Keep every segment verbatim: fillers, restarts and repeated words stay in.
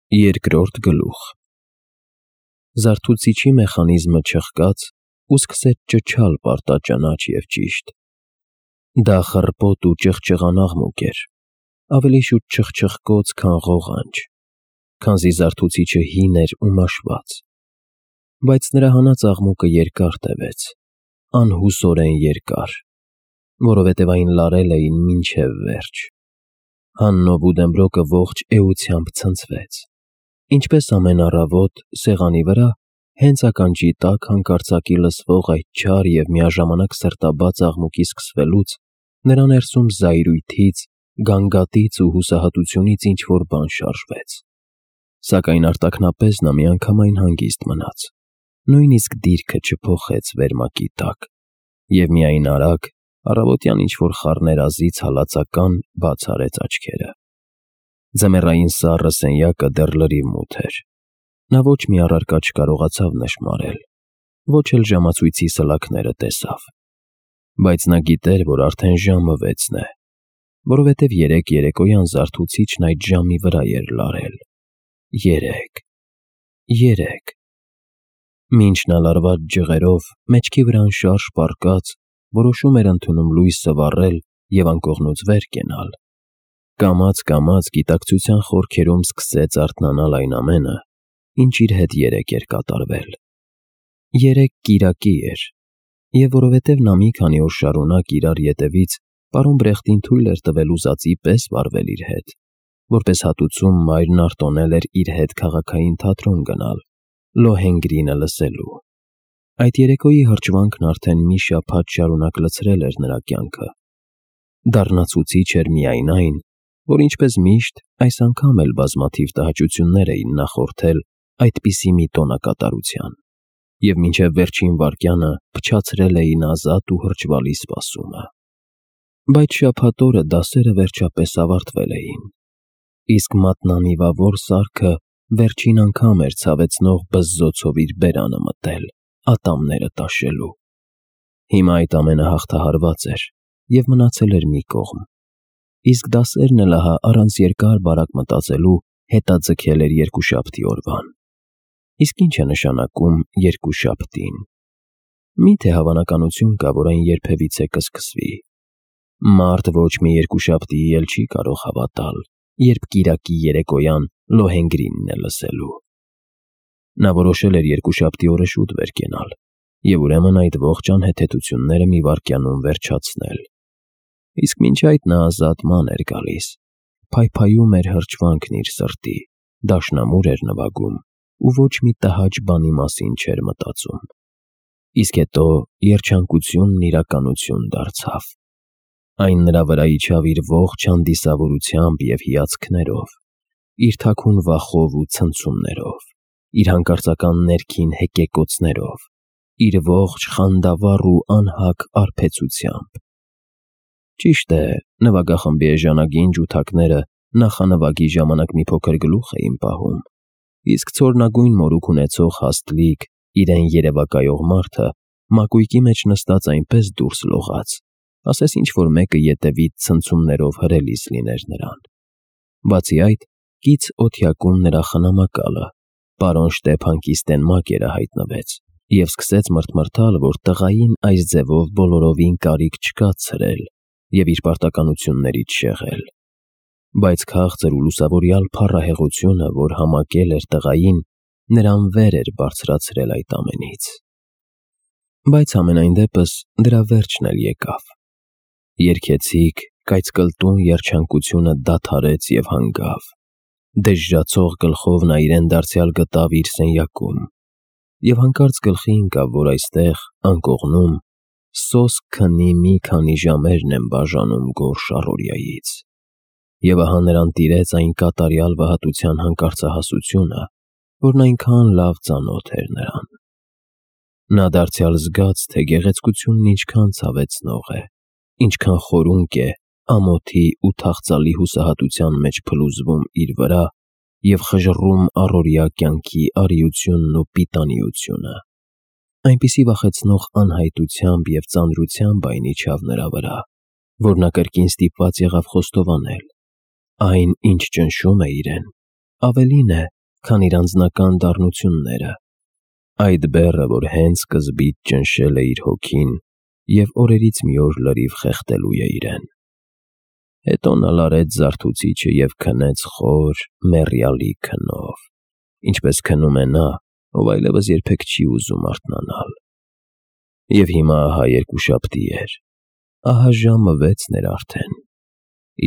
Երկրորդ գլուխ Զարթուցիչի մեխանիզմը չխկաց ու սկսեց ճչալ պարտաճանաչ և ճիշտ։ Դա խռպոտ ու ճղճղան աղմուկ էր, ավելի շուտ չխչխկոց, քան ղողանջ, քանզի զարթուցիչը հին էր ու մաշված, բայց նրա հանած աղմուկը երկար տևեց, անհուսորեն երկար, որովհետև այն լարել էին մինչև վերջ։ Հաննով ու Դեմբրոկը ողջ էությամբ ցնցվեց, ինչպես ամեն առավոտ սեղանի վրա, հենց ականջի տակ հանկարծակի լսվող այդ չար և միաժամանակ սրտաբաց աղմուկի սկսվելուց, նրա ներսում զայրույթից, գանգատից ու հուսահատությունից ինչ-որ բան շարժվեց։ Սակայն արտաքնապես նա միանգամայն հանգիստ մնաց, նույնիսկ դիրքը չփոխեց վերմակի տակ, և միայն արագ, առավոտյան ինչ-որ խառներազից հալածական բաց արեց աչքերը։ Ձմեռային սառը սենյակը դեռ լրիվ մութ էր։ Նա ոչ մի առարկա չկարողացավ նշմարել, ոչ էլ ժամացույցի սլաքները տեսավ, բայց նա գիտեր, որ արդեն ժամը վեցն է, որովհետև երեկ երեկոյան զարթուցիչն այդ ժամի վրա էր լարել։ Երեկ… երեկ… Մինչ նա լարված ջղերով, մեջքի վրա անշարժ պառկած, որոշում էր ընդունում լույսը վառել և անկողնուց վեր կենալ, կամաց-կամաց գիտակցության խորքերում սկսեց արթնանալ այն ամենը, ինչ իր հետ երեկ էր կատարվել։ Երեկ կիրակի էր, և որովհետև նա մի քանի օր շարունակ իրար ետևից պարոն Բրեխտին թույլ էր տվել ուզածի պես վարվել իր հետ, որպես հատուցում մայրն արտոնել էր իր հետ քաղաքային թատրոն գնալ, Լոհենգրինը լսելու։ Այդ երեկոյի հրճվանքն արդեն մի շաբաթ շարունակ լցրել էր նրա կյանքը։ Դառնացուցիչ էր միայն այն, որ ինչպես միշտ, այս անգամ էլ բազմաթիվ տհաճություններ էին նախորդել այդպիսի մի տոնակատարության, և մինչև վերջին վայրկյանը փչացրել էին ազատ ու հրճվալի սպասումը։ Բայց շաբաթ օրը դասերը վերջապես ավարտվել էին, իսկ մատնանիվավոր սարքը վերջին անգամ էր ցավեցնող բզզոցով իր բերանը մտել, ատամները տաշելու։ Հիմա այդ ամենը հաղթահարված էր և մնացել էր մի կողմ, իսկ դասերն էլ ահա առանց երկար-բարակ մտածելու հետաձգել էր երկուշաբթի օրվան։ Իսկ ի՞նչ է նշանակում երկուշաբթին։ Մի՞թե հավանականություն կա, որ այն երբևիցե կսկսվի։ Մարդ ոչ մի երկուշաբթիի էլ չի կարող հավատալ, երբ կիրակի երեկոյան Լոհենգրինն է լսելու։ Նա որոշել էր երկուշաբթի օրը շուտ վեր կենալ և ուրեմն այդ ողջ անհեթեթությունները մի վայրկյանում վերջացնել։ Իսկ մինչ այդ նա ազատման էր գալիս, փայփայում էր հրճվանքն իր սրտի, դաշնամուր էր նվագում ու ոչ մի տհաճ բանի մասին չէր մտածում։ Իսկ հետո երջանկությունն իրականություն դարձավ։ Այն նրա վրա իջավ իր ողջ հանդիսավորությամբ և հիացքներով, իր թաքուն վախով ու ցնցումներով, իր հանկարծական ներքին հեկեկոցներով, իր ողջ խանդավառ ու անհագ արբեցությամբ։ Ճիշտ է, նվագախմբի էժանագին ջութակները նախանվագի ժամանակ մի փոքր գլուխ էին պահում, իսկ ցորնագույն մորուք ունեցող հաստլիկ, իրեն երևակայող մարդը մակույկի մեջ նստած այնպես դուրս լողաց, ասես ինչ-որ մեկը ետևից ցնցումներով հրելիս լիներ նրան։ Բացի այդ, կից օդյակում նրա խնամակալը, պարոն Շտեփան Կիստենմակերը հայտնվեց և սկսեց մռթմռթալ, որ տղային այս ձևով բոլորովին կարիք չկա ցրել և իր պարտականություններից շեղել։ Բայց քաղցր ու լուսավորյալ փառահեղությունը, որ համակել էր տղային, նրան վեր էր բարձրացրել այդ ամենից։ Բայց համենայն դեպս դրա վերջն էլ եկավ։ Երգեցիկ, կայծկլտուն երջանկությունը դադարեց և հանգավ։ Դժժացող գլխով նա իրեն դարձյալ գտավ իր սենյակում և հանկարծ գլխի ընկավ, որ այստեղ, անկողնում, սոսկ քնի մի քանի ժամերն են բաժանում գորշ առօրյայից։ Եվ ահա նրան տիրեց այն կատարյալ վհատության հանկարծահասությունը, որն այնքան լավ ծանոթ էր նրան։ Նա դարձյալ զգաց, թե գեղեցկությունն ինչքան ցավեցնող է, ինչքան խորունկ է ամոթի ու թախծալի հուսահատության մեջ փլուզվում իր վրա և խժռում առօրյա կյանքի արիությունն ու պիտանիությունը։ Այնպիսի վախեցնող անհայտությամբ և ծանրությամբ այն իջավ նրա վրա, որ նա կրկին ստիպված եղավ խոստովանել. այն, ինչ ճնշում է իրեն, ավելին է, քան իր անձնական դառնությունները, այդ բեռը, որ հենց սկզբից ճնշել է իր հոգին և օրերից մի օր լրիվ խեղդելու է իրեն։ Հետո նա լարեց զարթուցիչը և քնեց խոր, մեռյալի քնով, ինչպես քնում է նա, ով այլևս երբեք չի ուզում արթնանալ։ Եվ հիմա ահա երկուշաբթի էր, ահա ժամը վեցն էր արդեն,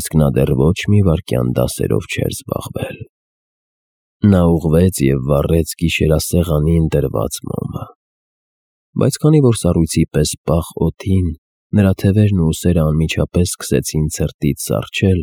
իսկ նա դեռ ոչ մի վայրկյան դասերով չէր զբաղվել։ Նա ուղղվեց և վառեց գիշերասեղանին դրված մոմը, բայց քանի որ սառույցի պես պաղ օդին նրա թևերն ու ուսերը անմիջապես սկսեցին ցրտից սառչել,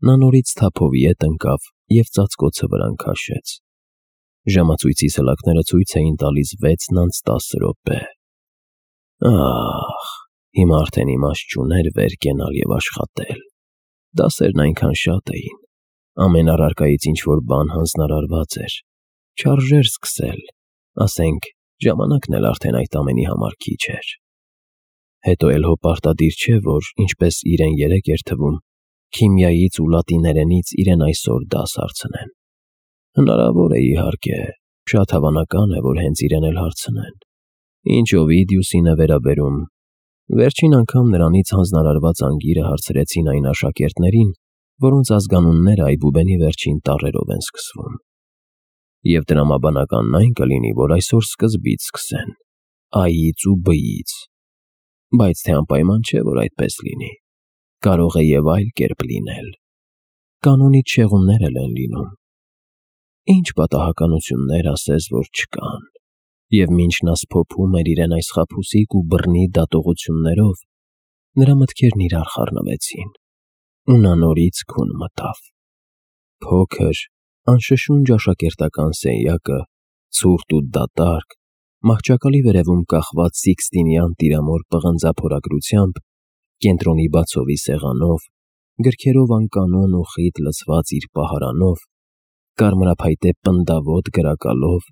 նա նորից թափով ետ ընկավ և ծածկոցը վրան քաշեց։ Ժամացույցի սլաքները ցույց էին տալիս վեցն անց տասը րոպե։ Ահ, հիմա արդեն իմաստ չուներ վեր կենալ և աշխատել։ Դասերն այնքան շատ էին, ամեն առարկայից ինչ-որ բան հանձնարարված էր, չարժեր սկսել, ասենք, ժամանակն էլ արդեն այդ ամենի համար քիչ էր։ Հետո էլ հո պարտադիր չէ, որ, ինչպես իրեն երեկ էր թվում, քիմիայից ու լատիներենից իրեն այսօր դաս հարցնեն։ Հնարավոր է, իհարկե, շատ հավանական է, որ հենց իրեն էլ հարցնեն։ Ինչ Օվիդիուսին է վերաբերում, վերջին անգամ նրանից հանձնարարված անգիրը հարցրեցին այն աշակերտներին, որոնց ազգանունները այբուբենի վերջին տառերով են սկսվում։ Եվ տրամաբանականն այն կլինի, որ այսօր սկզբից սկսեն, Ա-ից ու Բ-ից, բայց թե անպայման չէ, որ այդպես լինի, կարող է և այլ կերպ լինել։ Կանոնից շեղումներ էլ են լինում։ Ինչ պատահականություններ ասես, որ չկան։ Եվ մինչ նա սփոփում էր իրեն այս խաբուսիկ ու բռնի դատողություններով, նրա մտքերն իրար խառնվեցին, ու նա նորից քուն մտավ։ Փոքր, անշշունջ աշակերտական սենյակը, ցուրտ ու դատարկ, մահճակալի վերևում կախված Սիկստինյան տիրամոր պղնձափորագրությամբ, կենտրոնի բացովի սեղանով, գրքերով անկանոն ու խիտ լցված իր պահարանով, կարմրափայտե պնդավոտ գրակալով,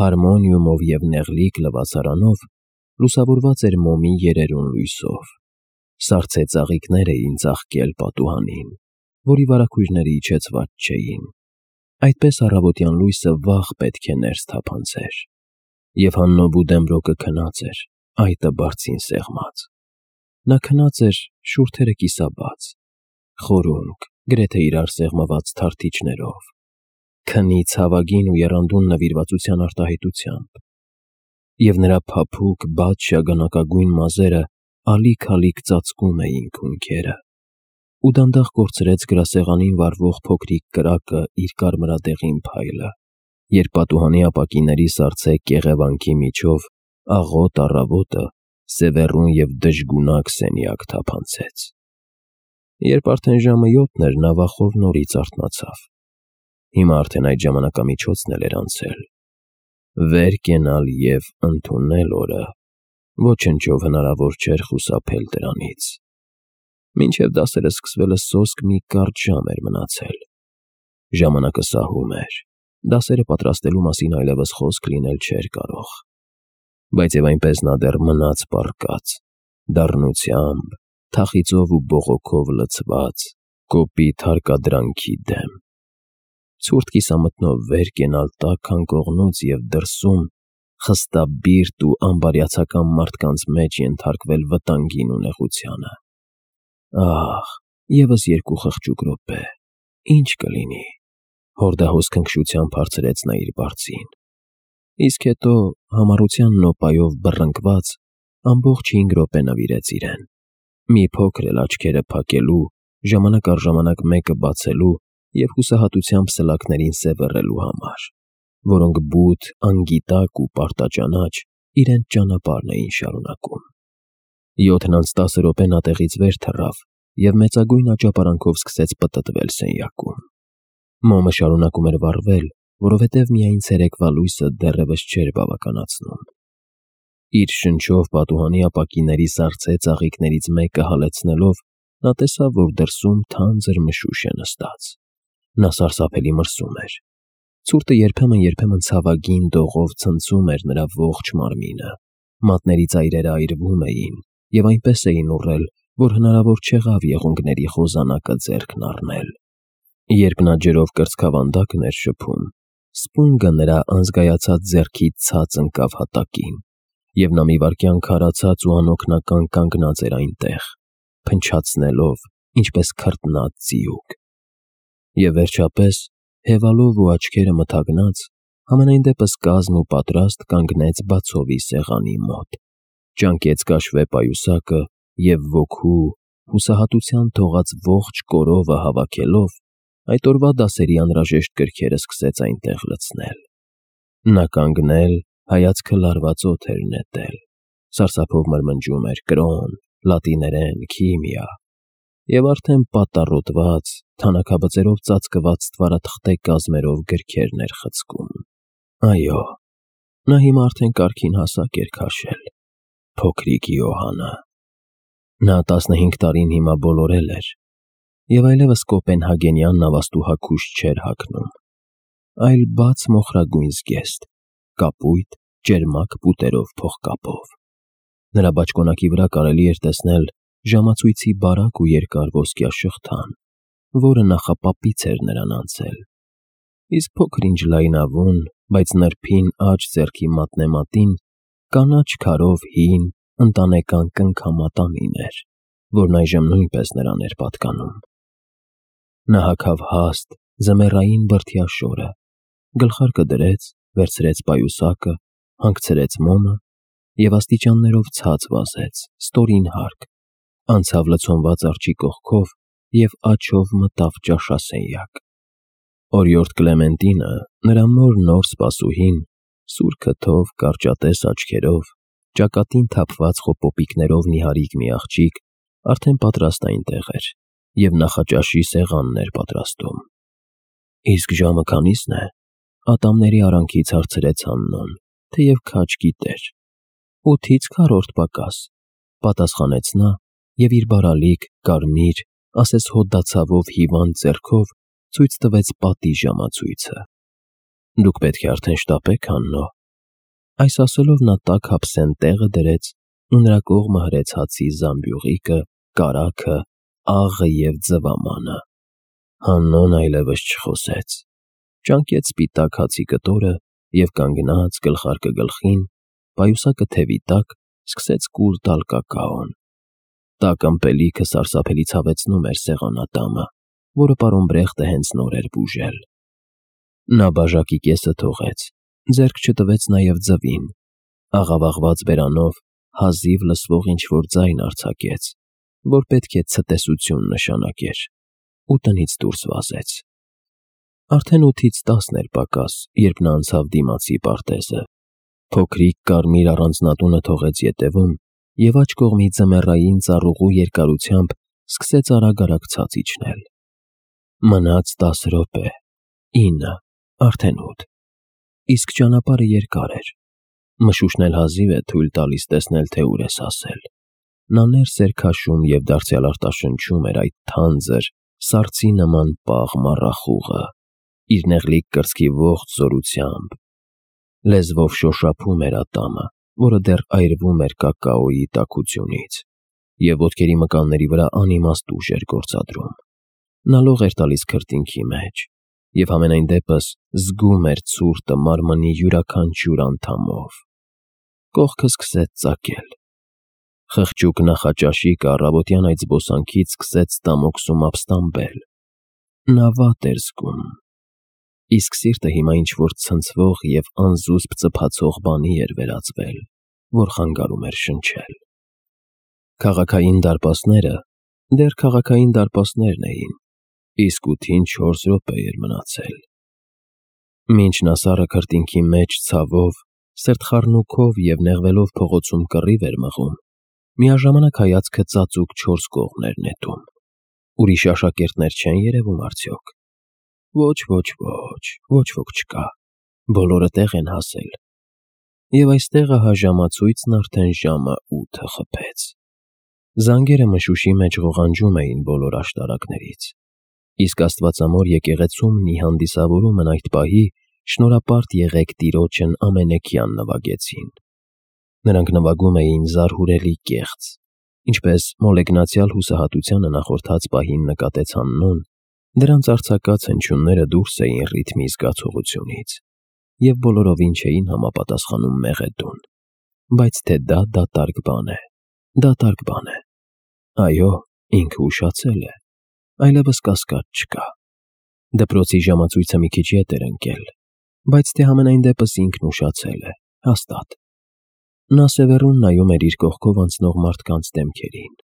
հարմոնիումով և նեղլիկ լվացարանով, լուսավորված էր մոմի երերուն լույսով։ Սառցե ծաղիկներ էին ծաղկել պատուհանին, որի վարագույրները իջեցված չէին։ Այդպես առավոտյան լույսը վաղ պետք է ներս թափանցեր։ Եվ Հաննո Բուդենբրոկը քնած էր, այտը բարձին սեղմած։ Նա քնած էր շուրթերը կիսաբաց, խորունկ, գրեթե իրար սեղմված թարթիչներով, քնի ցավագին ու եռանդուն նվիրվածության արտահայտությամբ։ Եվ նրա փափուկ, բաց շագանակագույն մազերը ալիք-ալիք ծածկում էին քունքերը, ու դանդաղ կորցրեց գրասեղանին վառվող փոքրիկ կրակը իր կարմրադեղին փայլը, երբ պատուհանի ապակիների սառցե կեղևանքի միջով աղոտ առավոտը սևեռուն և դժգունակ սենյակ թափանցեց։ Երբ արդեն ժամը յոթն էր, նա վախով նորից արթնացավ։ Հիմա արդեն այդ ժամանակամիջոցն էլ էր անցել։ Վեր կենալ և ընդունել օրը ոչնչով հնարավոր չէր խուսափել դրանից։ Մինչև դասերը սկսվելը սոսկ մի կարճ ժամ էր մնացել։ Ժամանակը սահում էր, դասերը պատրաստելու մասին այլևս խոսք լինել չէր կարող։ Բայց և այնպես նա դեռ մնաց պառկած, դառնությամբ, թախիծով ու բողոքով լցված, կոպիտ հարկադրանքի դեմ։ Ցուրտ կիսամթնով վեր կենալ տաք անկողնուց և դրսում, խստաբիրտ ու անբարյացակամ մարդկանց մեջ ենթարկվել վտանգին ու նեղությանը։ Ահ, ևս երկու խղճուկ րոպե, ինչ կլինի, հորդահոս քնքշությամբ հարցրեց նա իր բարձին։ Իսկ հետո, համառության նոպայով բռնկված, ամբողջ հինգ րոպե նվիրեց իրեն, մի փոքր էլ աչքերը փակելու, ժամանակ առ ժամանակ մեկը բացելու և հուսահատությամբ սլաքներին սևեռելու համար, որոնք բութ, անգիտակ ու պարտաճանաչ իրենց ճանապարհն էին շարունակում։ Յոթն անց տասը րոպե նա տեղից վեր թռավ և մեծագույն աճապարանքով սկսեց պտտվել սենյակում։ Մոմը շարունակում էր վառվել, որովհետև միայն ցերեկվա լույսը դեռևս չէր բավականացնում։ Իր շնչով պատուհանի ապակիների սառցե ծաղիկներից մեկը հալեցնելով, նա տեսավ, որ դրսում թանձր մշուշ է նստած։ Նա սարսափելի մրսում էր։ Ցուրտը երբեմն-երբեմն ցավագին դողով ցնցում էր նրա ողջ մարմինը, մատների ծայրերը այրվում էին և այնպես էին ուռել, որ հնարավոր չեղավ եղունգների խոզանակը ձեռքն առնել։ Երբ նա ջրով կրծքավանդակն էր շփում, Սպունգը նրա անզգայացած ձեռքից ցած ընկավ հատակին, և նա մի վայրկյան քարացած ու անօգնական կանգնած էր այնտեղ, փնչացնելով, ինչպես քրտնած ձիուկ։ Եվ վերջապես, հևալով ու աչքերը մթագնած, համենայն դեպս կազմ ու պատրաստ կանգնեց բացովի սեղանի մոտ, ճանկեց կաշվե պայուսակը և ոգու, հուսահատության թողած ողջ կորովը հավաքելով, այդ օրվա դասերի անհրաժեշտ գրքերը սկսեց այնտեղ լցնել։ Նա կանգնել, հայացքը լարված օդ էր նետել, սարսափով մրմնջում էր կրոն, լատիներեն, քիմիա, և արդեն պատառոտված, թանաքաբծերով ծածկված ստվարաթղթե կազմերով գրքերն էր խցկում։ Այո, նա հիմա արդեն կարգին հասակ էր քաշել, փոքրիկ Յոհանը։ Նա տասնհինգ տարին հիմա բոլորել էր, և այլևս կոպենհագենյան նավաստուհաքուշ չէր հագնում, այլ բաց մոխրագույն զգեստ, կապույտ, ճերմակ պուտերով փողկապով։ Նրա բաճկոնակի վրա կարելի էր տեսնել ժամացույցի բարակ ու երկար ոսկյա շղթան, որը նախապապից էր նրան անցել, իսկ փոքր-ինչ լայնավուն, բայց նրբին աջ ձեռքի մատնեմատին կանաչ քարով հին, ընտանեկան կնքամատանին էր, որն այժմ նույնպես նրան էր պատկանում։ Նա հագավ հաստ, ձմեռային բրդյա շորը, գլխարկը դրեց, վերցրեց պայուսակը, հանգցրեց մոմը և աստիճաններով ցած վազեց, ստորին հարկ, անցավ լցոնված արջի կողքով և աջով մտավ ճաշասենյակ։ Օրիորդ Կլեմենտինը, նրա մոր նոր սպասուհին, սուր քթով, կարճատես աչքերով, ճակատին թափված խոպոպիկներով նիհարիկ մի աղջիկ, արդեն պատրաստ այնտեղ էր և նախաճաշի սեղանն էր պատրաստում։ Իսկ ժամը քանի՞սն է, ատամների արանքից հարցրեց Աննոն, թեև քաջ գիտեր։ Ութից քառորդ պակաս, պատասխանեց նա և իր բարալիկ, կարմիր, ասես հոդացավով հիվանդ ձեռքով ցույց տվեց պատի ժամացույցը։ Դուք պետք է արդեն շտապեք, Աննո։ Այս ասելով նա տաք հափսեն տեղը դրեց ու նրա կողմը հրեց հացի զամբյուղիկը, կարագը, աղը և ձվամանը։ Աննոն այլևս չխոսեց, ճանկեց սպիտակ հացի կտորը և կանգնած, գլխարկը գլխին, պայուսակը թևի տակ, սկսեց կուլ տալ կակաոն։ Տաք ըմպելիքը սարսափելի ցավեցնում էր սեղանատամը, որը պարոն Բրեխտը հենց նոր էր բուժել։ Նա բաժակի կեսը թողեց, ձեռք չտվեց նաև ձվին, աղավաղված բերանով հազիվ լսվող ինչ-որ ձայն արձակեց, որ պետք է ցտեսություն նշանակեր, ու տնից դուրս վազեց։ Արդեն ութից տասն էր պակաս, երբ նա անցավ դիմացի պարտեզը, փոքրիկ կարմիր առանձնատունը թողեց ետևում և աջ կողմի ձմեռային ծառուղու երկարությամբ սկսեց արագ-արագ ցած իջնել։ Մնաց տասը րոպե, ինը, արդեն ութ, իսկ ճանապարհը երկար էր, մշուշն էլ հազիվ է թույլ տալիս տեսնել, թե ուր ես հասել։ Նա ներս էր քաշում և դարձյալ արտաշնչում էր այդ թանձր, սառցի նման պաղ մառախուղը, իր նեղլիկ կրծքի ողջ զորությամբ։ Լեզվով շոշափում էր ատամը, որը դեռ այրվում էր կակաոյի տաքությունից, և ոտքերի մկանների վրա անիմաստ ուժ էր գործադրում։ Նա լող էր տալիս քրտինքի մեջ և համենայն դեպս զգում էր ցուրտը մարմնի յուրաքանչյուր անդամով։ Կողքը սկսեց ծակել։ Խղճուկ նախաճաշիկը առավոտյան այդ զբոսանքից սկսեց ստամոքսում ապստամբել։ Նա վատ էր զգում, իսկ սիրտը հիմա ինչ-որ ցնցվող և անզուսպ ծփացող բանի էր վերածվել, որ խանգարում էր շնչել։ Քաղաքային դարպասները դեռ քաղաքային դարպասներն էին, իսկ ութին չորս րոպե էր մնացել։ Մինչ նա սառը քրտինքի մեջ ցավով, սրտխառնուքով և նեղվելով փողոցում կռիվ էր մղում, միաժամանակ հայացքը ծածուկ չորս կողմ էր նետում։ Ուրիշ աշակերտներ չեն երևում արդյոք։ Ոչ, ոչ, ոչ, ոչ ոք չկա, բոլորը տեղ են հասել։ Եվ այստեղ ահա ժամացույցն արդեն ժամը ութը խփեց։ Զանգերը մշուշի մեջ ղողանջում էին բոլոր աշտարակներից, իսկ աստվածամոր եկեղեցում մի հանդիսավորումն այդ պահի շնորհապարտ եղեք Տիրոջն ամենեքյան նվագեցին։ Նրանք նվագում էին զարհուրելի կեղծ, ինչպես մոլեգնացյալ հուսահատությանը նախորդած պահին նկատեց Աննոն, Դրանց արձակած հնչյունները դուրս էին ռիթմի զգացողությունից և բոլորովին չէին համապատասխանում մեղեդուն, բայց թե դա դատարկ բան է, դատարկ բան է։ Այո, ինքը ուշացել է, այլևս կասկած չկա։ Դպրոցի ժամացույցը մի քիչ ետ էր ընկել, բայց թե համենայն դեպս ինքն ուշացել է, հաստատ։ Նա սևեռուն նայում էր իր կողքով անցնող մարդկանց դեմքերին։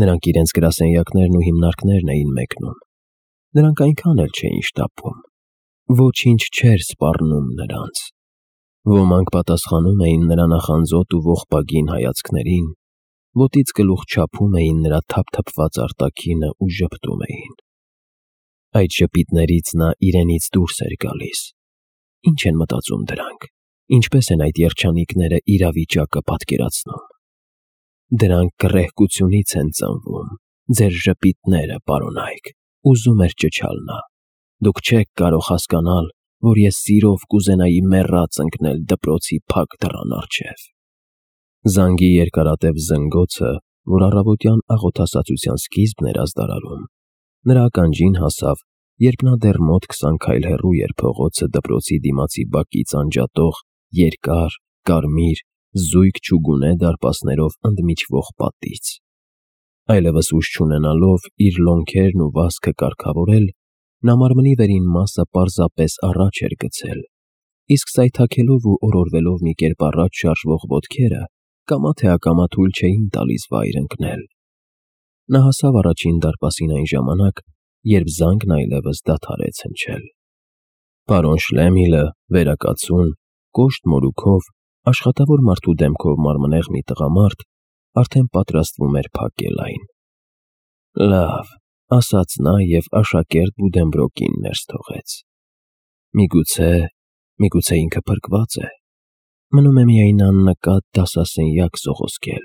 Նրանք իրենց գրասենյակներն ու հիմնարկներն էին մեկնում։ Նրանք այնքան էլ չէին շտապում։ Ոչինչ չէր սպառնում նրանց։ Ոմանք պատասխանում էին նրա նախանձոտ ու ողբագին հայացքներին, ոտից գլուխ չափում էին նրա թափթփված արտաքինը ու ժպտում էին։ Այդ ժպիտներից նա իրենից դուրս էր գալիս։ Ինչ են մտածում դրանք, ինչպես են այդ երջանիկները իրավիճակը պատկերացնում։ Դրանք գռեհկությունից են ծնվում, ձեր ժպիտները, պարոնայք, ուզում էր ճչալ նա։ Դուք չեք կարող հասկանալ, որ ես սիրով կուզենայի մեռած ընկնել դպրոցի փակ դռան առջև։ Զանգի երկարատև զնգոցը, որ առավոտյան աղոթասացության սկիզբն էր ազդարարում, նրա ականջին հասավ, երբ նա դեռ մոտ քսան քայլ հեռու էր փողոցը դպրոցի դիմացի բակից անջատող երկար, կարմիր, զույգ չուգունե դարպասներով ընդմիջվող պատից։ Այլևս ուժ չունենալով իր լոնքերն ու վազքը կարգավորել, նա մարմնի վերին մասը պարզապես առաջ էր գցել, իսկ սայթաքելով ու օրորվելով մի կերպ առաջ շարժվող ոտքերը կամա թե ակամա թույլ չէին տալիս վայր ընկնել։ Նա հասավ առաջին դարպասին այն ժամանակ, երբ զանգն այլևս դադարեց հնչել։ Պարոն Շլեմիլը, վերակացուն, կոշտ մորուքով, աշխատավոր մարդու դեմքով մարմնեղ մի տղամարդ, արդեն պատրաստվում էր փակել այն։ «Լավ», ասաց նա և աշակերտ Բուդենբրոկին ներս թողեց։ Միգուցե, միգուցե ինքը փրկված է։ Մնում է միայն աննկատ դասասենյակ սողոսկել,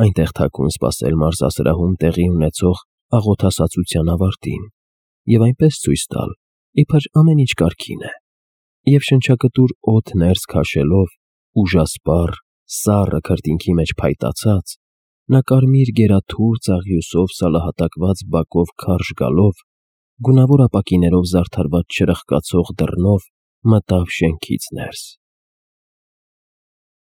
այնտեղ թաքուն սպասել մարզասրահում տեղի ունեցող աղոթասացության ավարտին և այնպես ցույց տալ, իբր ամեն ինչ կարգին է, և շնչակտուր օդ ներս քաշելով, ուժասպառ, սառը քրտինքի մեջ փայտացած, նա կարմիր գերաթուր ծաղիուսով սալահատակված բակով քարշ գալով, գունավոր ապակիներով զարդարված չրխկացող դռնով մտավ շենքից ներս։